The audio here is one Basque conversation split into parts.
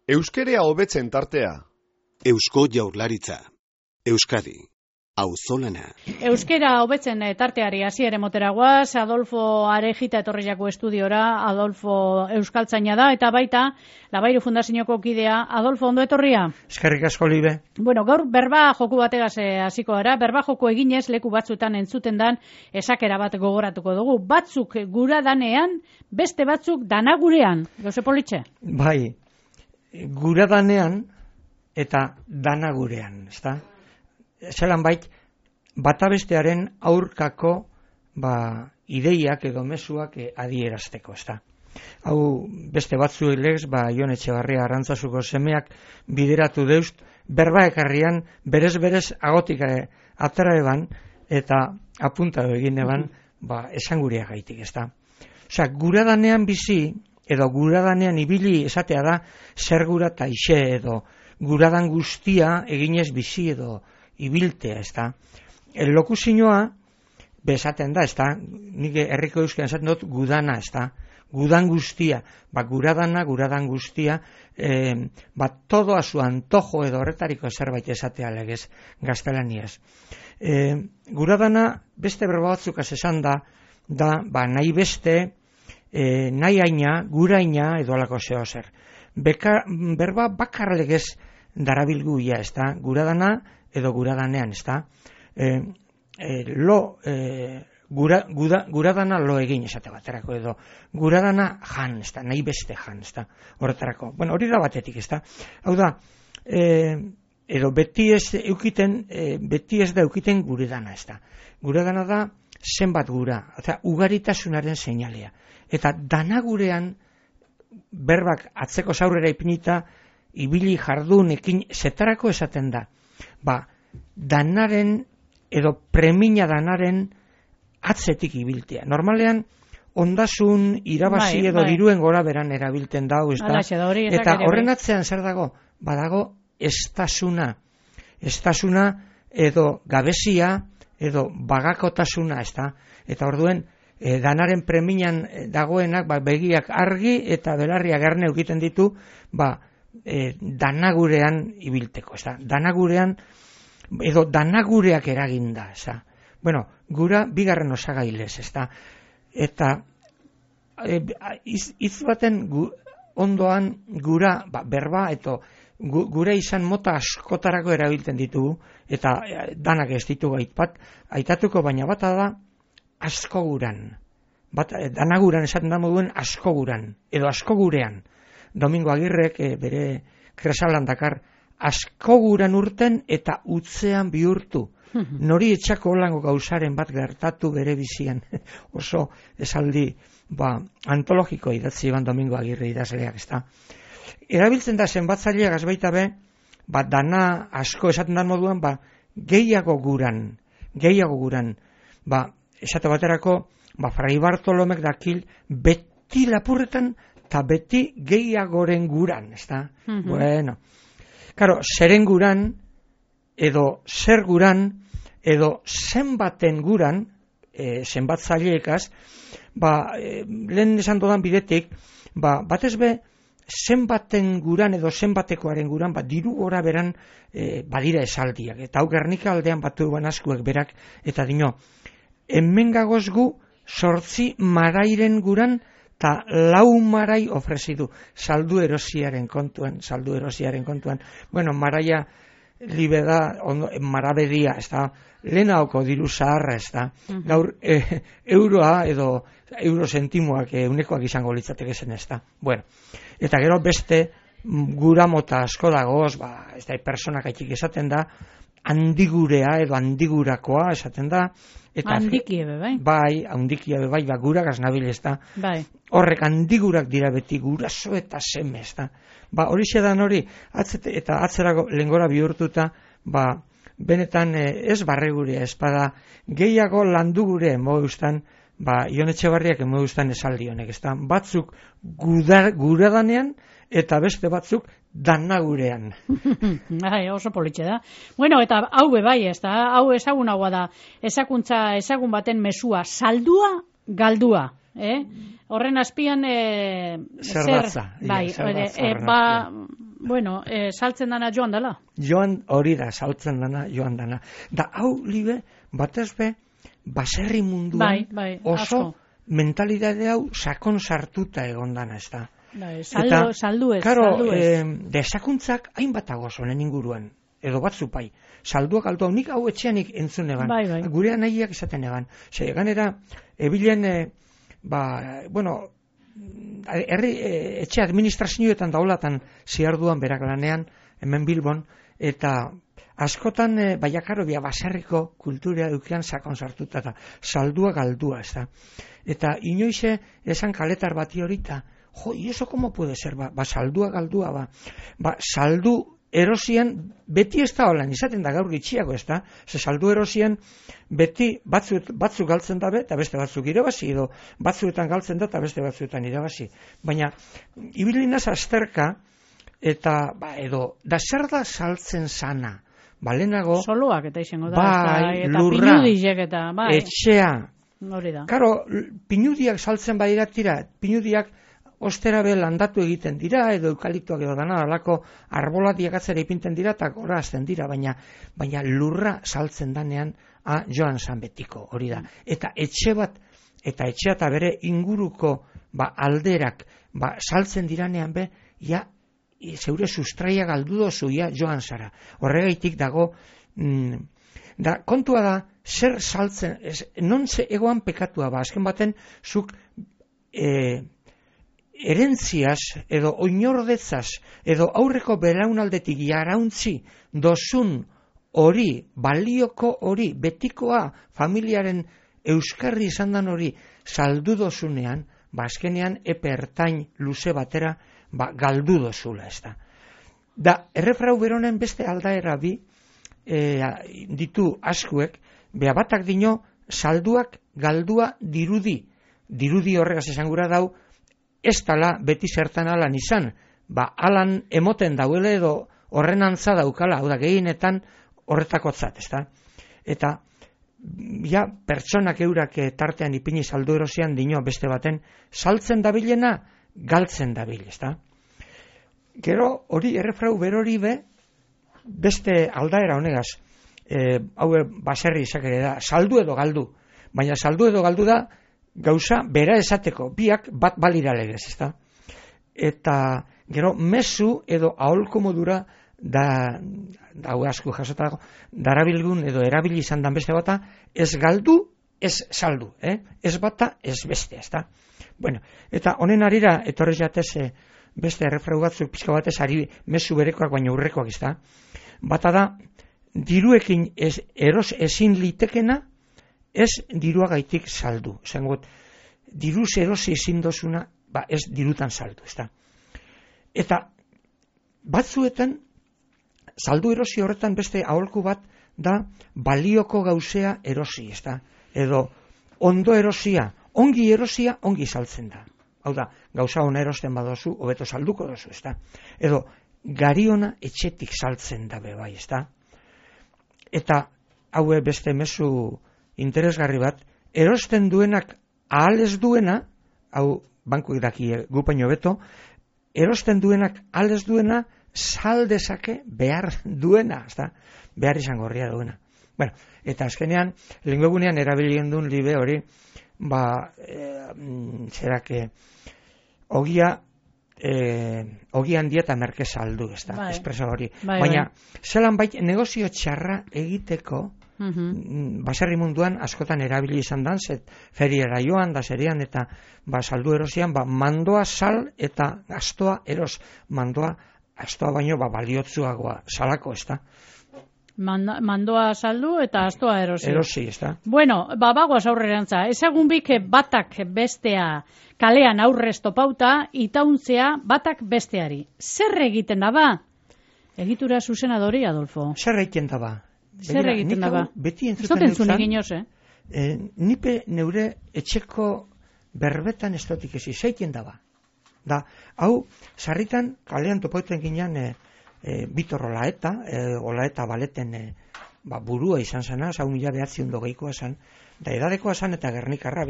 Euskerea hobetzen tartea. Eusko Jaurlaritza. Euskadi. Auzolana. Euskera hobetzen tarteari hasier emotera guaz, Adolfo Arejita etorriako estudiora, Adolfo euskaltzaina da, eta baita, Labairu Fundazioko kidea, Adolfo, ondo etorria? Eskerrik asko, Libe. Bueno, gaur berba joku bategaz hasiko gara, berba joku eginez leku batzutan entzuten dan esakera bat gogoratuko dugu. Batzuk gura danean, beste batzuk danagurean. Jose Politxe? Bai, gura danean eta danagurean, ezta? Zelan bait, bata bestearen aurkako ideiak edo mezuak adierazteko, ezta? Hau beste batzu legez, Jon Etxebarria Arrantzasuko semeak bideratu deust, berba ekarrian berez agotik atera eban eta apuntado egin eban esanguria gaitik, ezta? Osea, gura danean bizi, edo guradanean ibili esatea da zer gura taixe edo guradan guztia eginez bizi edo ibiltea, ezta. Lokuzioa bezaten da, ezta. Nik herriko euskeran esaten dut gudana, ezta. Gudan guztia, guradan guztia, todo a su antojo edo horretariko zerbait esatea legez gaztelaniaz. Guradana beste berba batzuk esan da nahi beste, nahi aina, guraina edo alako zeo zer. Berba bakarlegez darabilgu ja, ezta, guradana edo guradanean, ezta. Guradana lo egin esate baterako edo guradana jan, ezta, nahi beste jan, ezta, horretarako. Bueno, hori da batetik, ezta. Hau da, edo beti ez da eukiten guredana, ezta. Guredana da zenbat gura, eta ugaritasunaren seinalea. Eta danagurean berbak atzeko zaurrera ipinita ibili jardunekin zetarako esaten da. Danaren edo premina danaren atzetik ibiltea. Normalean ondasun irabazi edo diruen gora beran erabiltzen dau, eta horren atzean zer dago? Badago estasuna edo gabezia edo bagakotasuna, ezta? Eta orduen danaren preminan dagoenak begiak argi eta belarria gerne egiten ditu danagurean ibilteko, ezta? Danagurean edo danagureak eraginda, ezta? Bueno, gura bigarren osagailez, ezta? Eta hitz baten ondoan gura berba eta gure izan mota askotarako erabiltzen ditugu eta danak ez ditugu aitatuko, baina bata da asko guran. Danaguran esaten da moduen asko guran, edo asko gurean. Domingo Agirrek bere kresalan dakar asko guran urten eta utzean bihurtu. Nori etxako holango gauzaren bat gertatu bere bizian. Oso esaldi antologiko idatzi ban Domingo Agirre idazleak, ezta. Erabiltzen da zenbatzaileak azbaita be, dana asko esaten da moduan, gehiago guran. Esate baterako, Fray Bartolomek dakil beti lapurretan eta beti gehiagoren guran, ezta? Bueno, claro, zeren guran, edo zer guran, edo zenbaten guran, zenbatzaileekaz, lehen esan dodan bidetik, batez be, zenbaten guran edo zenbatekoaren guran, diru gora beran badira esaldiak. Eta hau Gernika aldean batu askuek berak, eta dino, hemen gagoz gu 8 marairen guran, eta 4 marai ofrezidu, saldu erosiaren kontuan. Bueno, maraia libe da, marabedia, ez da, lehenaoko diru zaharra, ez da, gaur euroa edo eurosentimoak unekoak izango litzateke zen, ez da. Bueno, eta gero beste gura mota asko dagoz, ez da, personak aitik esaten da, handigurea edo handigurakoa esaten da. Handikiebe, bai? Bai, handikiebe, bai, gurak aznabil, ez da. Bai. Horrek handigurak dira beti, guraso eta seme, ez da. Hori zedan hori, eta atzerako lengora bihurtuta, benetan ez barregurea, ez bada, gehiago landu gure, moeustan, Ion Etxebarriak emo duztan esaldi honek, ez da, batzuk guradanean eta beste batzuk danagurean. Oso politxe da. Bueno, eta hau bai, ez da, hau ezagunagoa da, ezagun baten mesua, saldua, galdua. Horren azpian zerdatza. Saltzen dana joan dela. Joan hori da, saltzen dana, joan dana. Da, hau libe, batez be, baserri munduan oso asko. Mentalidade hau sakon sartuta egon dana, ez da. Saldu ez. Desakuntzak hainbat agoz honen inguruan, edo batzu pai. Salduak aldu hau, nik hau etxeanik entzun eban. Gurean nahiak izaten eban. Ganera, ebilen, etxe administrazioetan daulatan ziarduan berak lanean, hemen Bilbon, eta askotan, baserriko kultura edukian sakon sartuta eta saldua galdua, ez da. Eta inoize esan kaletar bati horita, ¿y eso cómo puede ser? Saldua galdua, saldu erosian, beti ez da holan, izaten da gaur gitxiago, ez da? Saldu erosian, beti batzuk galtzen dabe, eta beste batzuk irabazi, edo batzuetan galtzen da, eta beste batzuetan irabazi. Baina, ibilinaz azterka, eta, da zer da saltzen sana? Lehenago, soloak eta izango da, eta pinudizek eta, etxea. Hori da. Karo, pinudiak saltzen badira tira, pinudiak ostera be landatu egiten dira, edo eukaliptoak edo dana, alako arbolatiak atzera ipinten dira, eta gora azten dira, baina lurra saltzen danean, joan zan betiko, hori da. Eta etxea eta bere inguruko alderak saltzen diranean be, zeure sustraia galdu dozu, joan zara. Horregaitik dago, da kontua da, zer saltzen, non ze egoan pekatua azken baten, zuk erentziaz, edo oinordetzaz, edo aurreko belaunaldetik jarauntzi dozun hori, balioko hori, betikoa, familiaren euskarri izan dan hori, saldu dozunean, azkenean epe ertain luze batera, galdu dozula, ez da. Da, errefrau beronen beste aldaera bi, ditu askuek, batak dino, salduak galdua dirudi horregaz esan gura dau, ez tala beti zertan alan izan, alan emoten dauele edo horren antza daukala, hau da gehienetan horretakotzat, ez da? Eta, pertsonak eurak tartean ipini saldu erosian dino beste baten, saltzen dabilena, galtzen dabil, ez da? Gero, hori errefrau berori be, beste aldaera honegaz, hau baserri izakere da, saldu edo galdu, baina saldu edo galdu da, gauza bera esateko, biak bat balira legez, ez da? Eta, gero, mezu edo aholko modura, hau asko jasotako, darabilgun edo erabili izan dan beste bata, ez galdu, ez saldu, ez bata, ez beste, ez da? Bueno, eta honen arira, etorri jatez, beste errefrau batzuk pizka batez, ari mezu berekoak baina urrekoak, ez da? Bata da, diruekin eros ezin litekena, ez diruagaitik saldu. Zengot, diruz erosi ezin dozuna, ez dirutan saldu, ez da? Eta, batzuetan, saldu erosi horretan beste aholku bat da balioko gauzea erosi, ez da? Edo, ondo erosia, ongi erosia, ongi saltzen da. Hau da, gauza ona erosten badozu, hobeto salduko dozu, ez da? Edo, gariona etxetik saltzen da bai, ez da? Eta, haue beste mezu interesgarri bat, erosten duenak ahal ez duena, hau bankuek daki gupaino beto, erosten duenak ahal ez duena, sal dezake behar duena, ezta? Behar izan gorria duena. Bueno, eta azkenean, lengogunean erabilien duen libe hori, zerake, ogia handia eta merke saldu, ezta? Espreso hori. Baina, zelan bait, negozio txarra egiteko, baserri munduan askotan erabili izan dan, feriera joan da serian eta saldu erosian, mandoa sal eta astoa eros, mandoa astoa baino baliotzuagoa salako, ez da? Mandoa saldu eta astoa erosi. Erosi, ez da? Bueno, bagoaz aurrerantza, ezagun bik batak bestea kalean aurrez topauta, itauntzea batak besteari. Zer egiten da ba? Egitura zuzena dori, Adolfo? Zer egiten da ba? Zer egiten da ba? Beti entzuten zuen egin nipe neure etxeko berbetan ez dotik ezi, zeiten daba. Da, hau, sarritan, kalean topoeten ginean Bitor Olaeta baleten burua izan zena, hau 1900 zan, da edadekoa zan eta Gernikarra,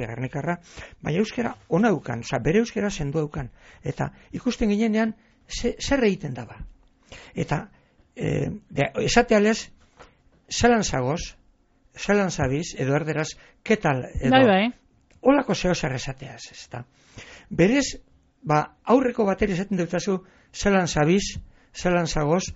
baina euskera ona eukan, bere euskera sendu eukan, eta ikusten ginenean zer egiten daba. Eta esatealez, zelan zagoz, zelan zabiz, edo erderaz, ketal, edo, holako zeo zer esateaz, ez da. Berez, aurreko bateri esaten dutazu, zelan zabiz, zelan zagoz,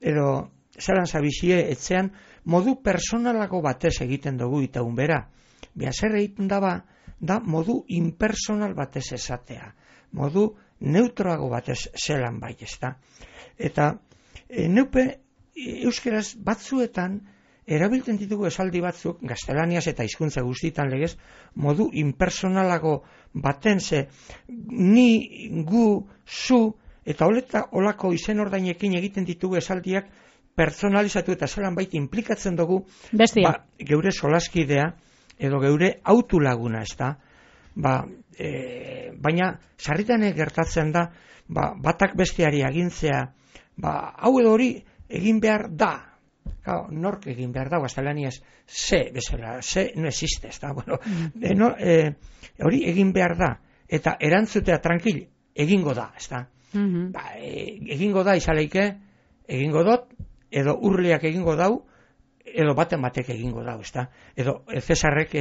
edo zelan zabizie etzean, modu personalako batez egiten dugu eta unbera. Bia zer egiten daba, da modu impersonal batez esatea. Modu neutroago batez zelan bai, ez da. Eta neupe euskeraz batzuetan erabiltzen ditugu esaldi batzuk, gaztelaniaz eta hizkuntza guztietan legez, modu impersonalago baten ze ni, gu, zu, eta olako izen ordainekin egiten ditugu esaldiak personalizatu eta zelan baita implikatzen dugu geure solaskidea edo geure autulaguna, ez da. Baina sarritan gertatzen da batak besteari agintzea, hau edo hori egin behar da. Nork egin behar da, gaztelaniaz, ze bezala, ze no existe, ez da. Hori egin behar da, eta erantzutea tranquil, egingo da, ez da. Egingo da izaleike, egingo dot, edo urleak egingo dau, edo baten batek egingo dau, ez da. Edo Cesarrek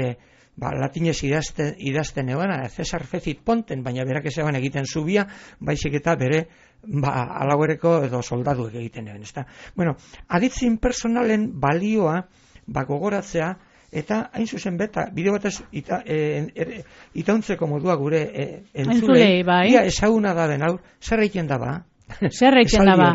latinez idazten eban, Cesar fecit ponten, baina berak ezeban egiten zubia, baizik eta bere alauereko edo soldaduek egiten eban, ez da. Bueno, aditz impersonalen balioa gogoratzea, eta hain zuzen beta, bideo batez itauntzeko modua gure entzulei, ia ezaguna da den, zer egiten daba? Zer reitzen daba.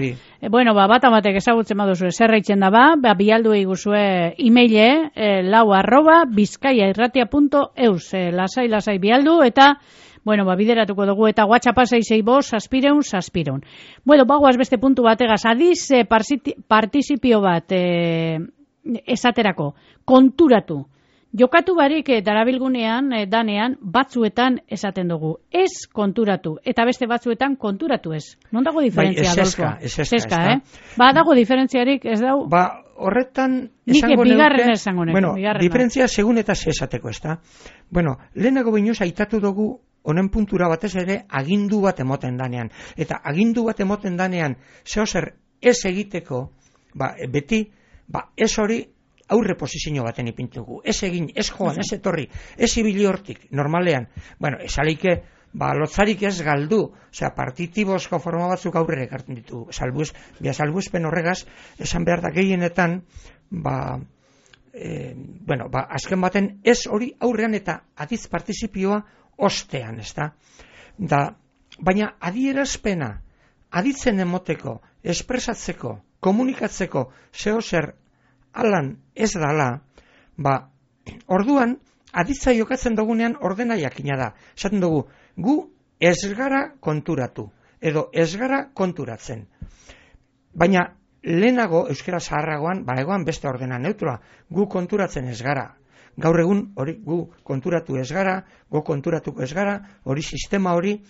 Bueno, bat amatek ezagutzen baduzu, zer reitzen daba, bialdu eguzue e-maile, lau@bizkaiairratia.eus, lasai bialdu, eta, bueno, bideratuko dugu, eta WhatsAppa 664 Bueno, bagoaz beste puntu bategaz, adiz participio bat esaterako, konturatu. Jokatu barik darabilgunean, danean, batzuetan esaten dugu. Ez konturatu, eta beste batzuetan konturatu ez. Non dago diferentzia, Adolfo? Eseska. Dago diferentziarik, ez dau? Horretan, esango neuke. Bueno, diferentzia segun eta esateko, ez da? Bueno, lehenago binuz aitatu dugu, honen puntura batez ere, agindu bat emoten danean. Eta agindu bat emoten danean, zehozer ez egiteko, beti, ez hori, aurre posizio baten ipintugu. Ez egin, ez joan, ez etorri, ez ibili hortik, normalean. Bueno, esaleike, lotzarik ez galdu, partitibozko forma batzuk aurrera ekartzen ditu. Salbuespen horregaz, esan behar da gehienetan, azken baten, ez hori aurrean eta adiz partizipioa ostean, ez da? Baina adierazpena, aditzen emoteko, espresatzeko, komunikatzeko, zehozer alan ez dala, orduan, aditza jokatzen dugunean ordena jakina da. Esaten dugu, gu ez gara konturatu, edo ez gara konturatzen. Baina, lehenago, euskera zaharragoan, egoan beste ordena neutroa, gu konturatzen ez gara. Gaur egun, hori, gu konturatu ez gara, gu konturatuko ez gara, hori sistema hori,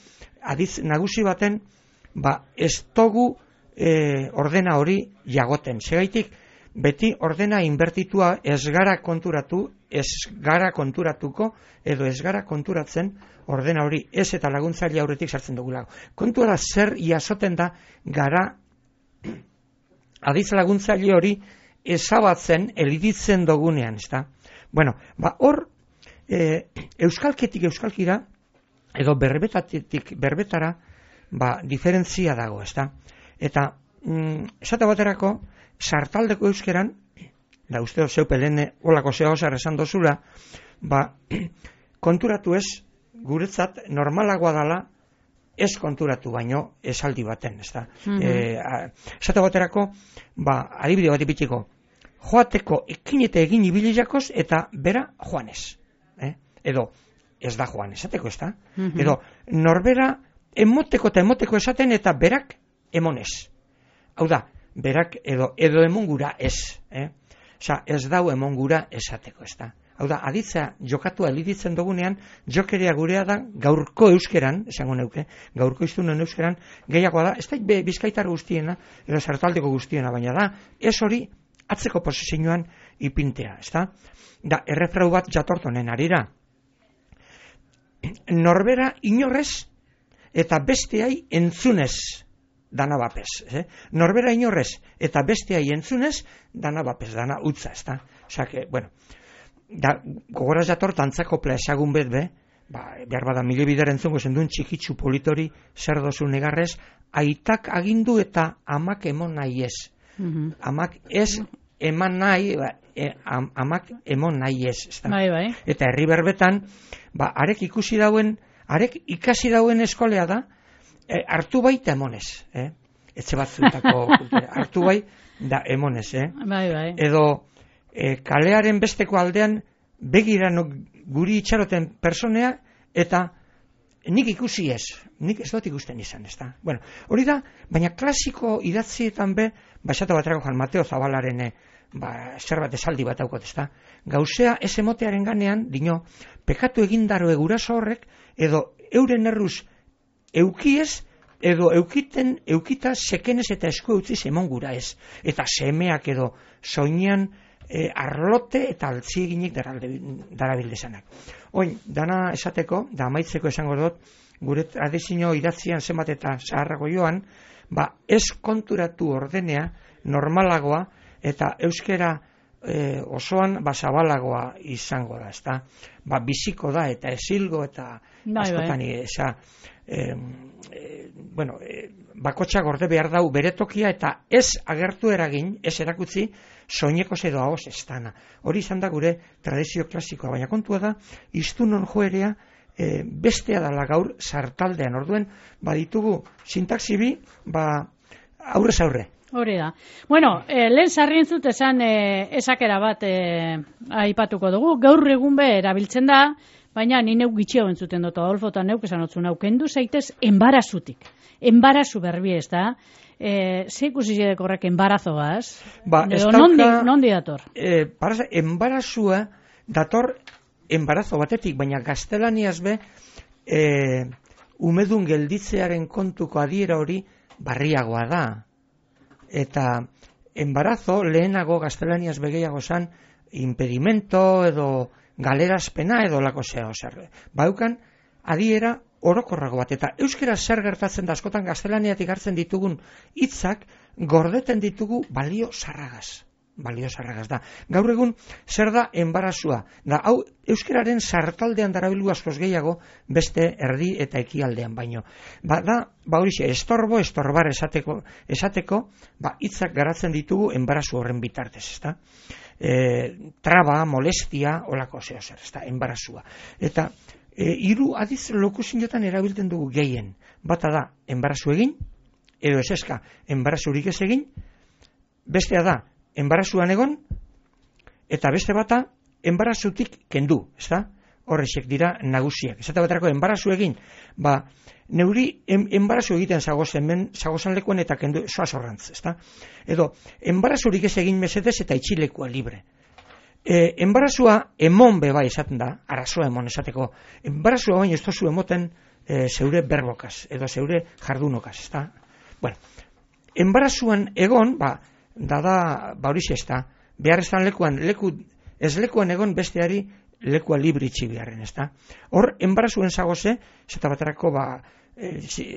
aditz nagusi baten, ez dugu ordena hori jagoten. Segaitik, beti ordena inbertitua ez gara konturatu, ez gara konturatuko, edo ez gara konturatzen ordena hori ez eta laguntzaile aurretik sartzen dugulago. Kontua da zer jasoten da gara adiz laguntzaile hori ezabatzen, eliditzen dugunean, ez da? Bueno, hor euskalketik euskalkira, edo berbetatik berbetara, diferentzia dago, ez da? Eta, esate baterako, sartaldeko euskeran, da uste zeupe lehen olako zehozar esan dozula, konturatu ez, guretzat normalagoa dala, ez konturatu baino esaldi baten, ez da. Esate baterako, adibide bat ipitiko, joateko ekin eta egin ibiliakoz eta bera joanez. Edo, ez da joan esateko, ez da. Edo, norbera emoteko eta emoteko esaten eta berak emonez. Hau da, berak edo emongura ez. Ez dau emongura esateko, ez da. Hau da, aditza jokatua eliditzen dugunean, jokerea gurea da gaurko euskeran, esango neuke, gaurko iztunen euskeran, gehiagoa da, ez da bizkaitar guztiena, edo sartaldeko guztiena, baina da, ez hori atzeko posizioan ipintea, ez da? Da, errefrau bat jatortonen arira. Norbera inorrez eta besteai entzunez dana bapez. Norbera inorrez eta besteai entzunez dana bapez, dana utza, ez da? Osa, bueno, da, gogoraz jator tantzako ezagun bet, behar bada mile bider entzungo zendun txikitsu politori zer dozu negarrez, aitak agindu eta amak emon nahi ez. Amak ez eman nahi, amak emon nahi ez. Bai. Eta herri berbetan, arek ikasi dauen eskolea da, hartu baita emonez. Etxe batzuetako kultura. Hartu bai da emonez. Bai. Edo kalearen besteko aldean begiran guri itxaroten personea eta nik ikusi ez. Nik ez dut ikusten izan, ez da. Bueno, hori da, baina klasiko idatzietan esate baterako Juan Mateo Zabalaren zerbait esaldi bat daukot, ez da. Gauzea ez emotearen ganean, dino, pekatu egindaro eguraso horrek, edo euren erruz eukiez, edo eukita sekenez eta esku eutziz emon gura ez. Eta semeak edo soinean arlote eta altzieginik darabildezanak. Oin, dana esateko, da amaitzeko esango dut, gure tradizio idatzian zenbat eta zaharrago joan, ez konturatu ordenea normalagoa eta euskera osoan zabalagoa izango da, ezta? Biziko da eta esilgo eta askotan bakotxa gorde behar dau bere tokia eta ez agertu eragin, ez erakutzi soineko edo ahoz ez dana. Hori izan da gure tradizio klasikoa, baina kontua da, iztunon joerea bestea dala gaur sartaldean. Orduen, baditugu sintaxi bi, aurrez aurre. Hori da. Bueno, lehen sarrien zut esan esakera bat aipatuko dugu. Gaur egun erabiltzen da, baina ni neuk gitxio entzuten dut, Adolfo, eta neuk esan otzun hau, kendu zaitez embarazutik. Embarazu berbi ez da. Ze ikusi zidek horrek embarazoaz? Nondi dator? Embarazua dator embarazo batetik, baina gaztelaniaz umedun gelditzearen kontuko adiera hori barriagoa da. Eta embarazo lehenago gaztelaniaz begeiago zan impedimento edo galerazpena edo lako zea. Baukan adiera orokorrago bat, eta euskera zer gertatzen da askotan gaztelaniatik hartzen ditugun hitzak gordeten ditugu balio zarragaz da. Gaur egun zer da enbarazua? Da, hau euskeraren sartaldean darabilu askoz gehiago beste erdi eta ekialdean baino. Horixe, estorbar esateko, hitzak garatzen ditugu enbarazu horren bitartez, ezta? Traba, molestia, olako zeo zer, ezta? Enbarazua. Eta hiru adiz lokuziniotan erabiltzen dugu gehien. Bata da, enbarazu egin, edo eseska, enbarazurik ez egin, bestea da, enbarazuan egon, eta beste bata, enbarazutik kendu, ezta? Horrexek dira nagusiak. Esate baterako, enbarazu egin, neuri enbarazu egiten zagozan lekuen eta kendu zoazorrantz, ezta? Edo, enbarazurik ez egin mesedez eta itxilekua libre. Enbarazua emon beba esaten da, arazoa emon esateko. Enbarazua baina ez tozu emoten zeure berbokaz, edo zeure jardunokaz, ezta? Bueno, enbarazuan egon, horixe ez da, behar ez dan ez lekuan egon besteari lekua libri itxibiaren, ezta? Hor, enbarazuen zagoze, zeta baterako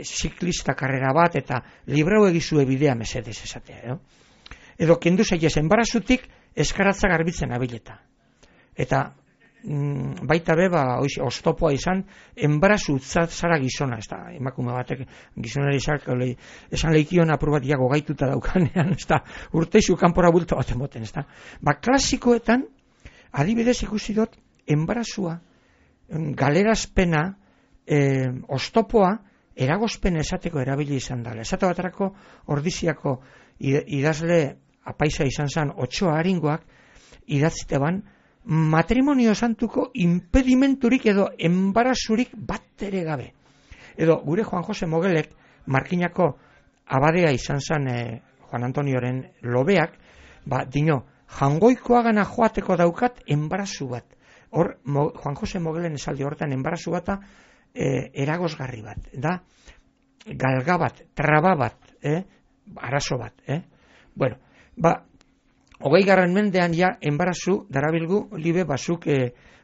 ziklista karrera bat eta librau egizue bidea mesedez esatea, edo kendu zaitez enbarazutik eskaratza garbitzen abileta. Eta baita oztopoa izan, enbarazu zara gizona, ez da, emakume batek gizonari esan leikion apur bat iago gaituta daukanean, ez da, urteizu kanpora bulta bat emoten, ez da. Klasikoetan, adibidez ikusi dut, enbarazua, galerazpena, oztopoa, eragozpen esateko erabili izan dela. Esate baterako ordiziako idazle apaisa izan zen Otxoa Aringoak idatzite ban matrimonio santuko impedimenturik edo enbarazurik bat ere gabe. Edo gure Juan Jose Mogelek Markinako abadea izan zen Juan Antonioren lobeak, dino, jangoikoagana joateko daukat enbarazu bat. Hor, Juan Jose Mogelen esaldi horretan, enbarazu bata eragozgarri bat, da, galga bat, traba bat, arazo bat, Bueno, 20. mendean ja, enbarazu, darabilgu, libe bazuk,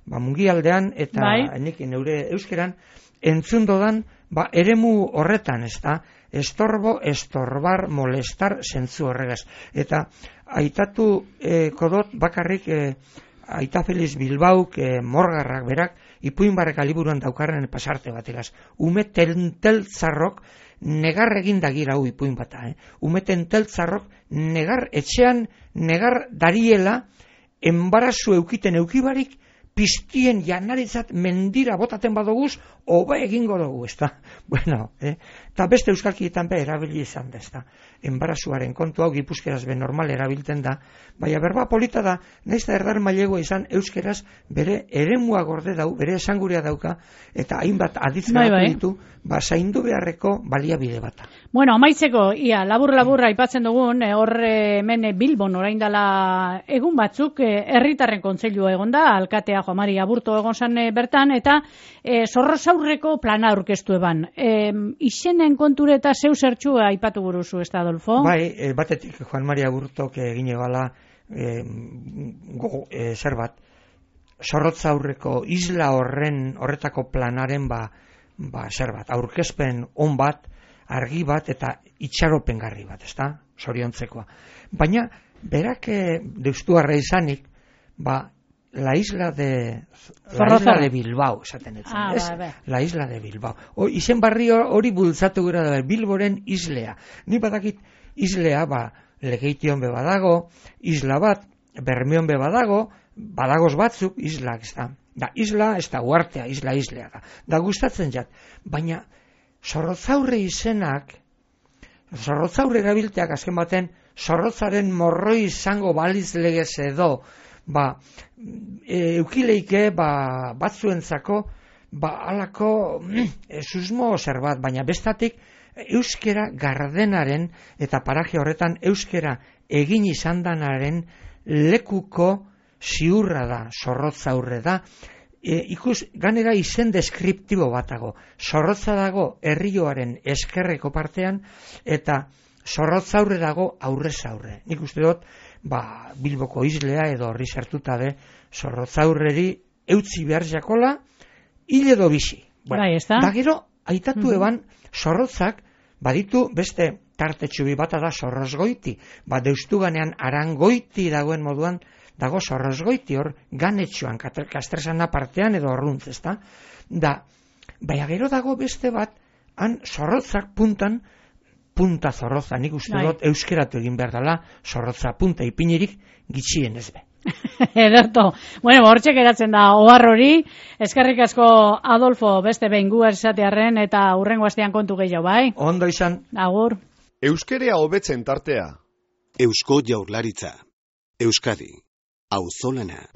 mungialdean, eta nik neure euskeran, entzundodan, eremu horretan, ez da, estorbo, estorbar, molestar, zentzu horregaz. Eta, aitatu kodot, bakarrik, Aita Feliz Bilbauk, Morgarrak berak, ipuinbarrek aliburuan daukarren pasarte bategaz. Ume tenteltzarrok negar egindagira ipuin bata. Ume tenteltzarrok negar etxean, negar dariela, enbarazu eukiten eukibarik, piztien janaritzat mendira botaten badoguz, hobe egingo dugu, ez da? Bueno, eta beste euskalkietan erabili izan da, ez da? Enbarazuaren kontu hau gipuzkeraz normal erabiltzen da, baina berba polita da, nahiz da erdar mailegoa izan euskeraz bere eremua gorde dau, bere esanguria dauka, eta hainbat aditzgaratu ditu, zaindu beharreko baliabide bata. Bueno, amaitzeko, ia, labur-labur aipatzen dugun, hemen Bilbon orain dela egun batzuk, herritarren kontseilua egon da, alkatea Juan Mari Aburto egon zan bertan, eta Zorrozaurreko plana aurkeztu eban. Izenen konture eta zeu zertxua aipatu buruzu, ez da, Adolfo? Bai, batetik Juan Mari Aburtok egin egala zer bat, Zorrozaurreko isla horretako planaren zer bat, aurkezpen on bat, argi bat eta itxaropengarri bat, ez da, zoriontzekoa. Baina, berak deustuarra izanik, la isla de Bilbao, esaten etzen, ez? La isla de Bilbao. Izen barri hori bultzatu gara da, Bilboren islea. Ni badakit islea, Legeition be badago, isla bat, Bermeon be badago, badagoz batzuk, islak, ez da. Da, isla, ez da, uartea, islea da. Da, gustatzen jat. Baina, Zorrozaurre izenak, Zorrozaurre erabilteak azken baten, Zorrotzaren morroi izango baliz legez edo, eukileike, batzuentzako, alako susmo zer bat, baina bestatik, euskera gardenaren, eta paraje horretan, euskera egin izan danaren lekuko ziurra da, Zorrotzaurre da, ikus, ganera izen deskriptibo batago. Zorrotza dago herrioaren eskerreko partean, eta Zorrotzaurre dago aurrez aurre. Nik uste dut, Bilboko islea edo horri sartuta de Zorrotzaurreri eutzi behar jakola, hil edo bizi. Da gero, aitatu eban, Zorrotzak, baditu beste tartetxubi bata da Zorrozgoiti. Deustu ganean Arangoiti dagoen moduan, dago Zorrozgoiti hor ganetxoan, Kastresana partean edo horruntz, ez da? Baina gero dago beste bat, han Zorrotzak punta Zorrotza, nik uste dut euskeratu egin behar dela, Zorrotza punta ipinirik gitxien ez be. Ederto. Bueno, hortxe geratzen da ohar hori, eskerrik asko Adolfo beste behin gu esatearren eta hurrengo astean kontu gehiago, bai? Ondo izan. Agur. Euskerea hobetzen tartea. Eusko Jaurlaritza. Euskadi. Auzolana.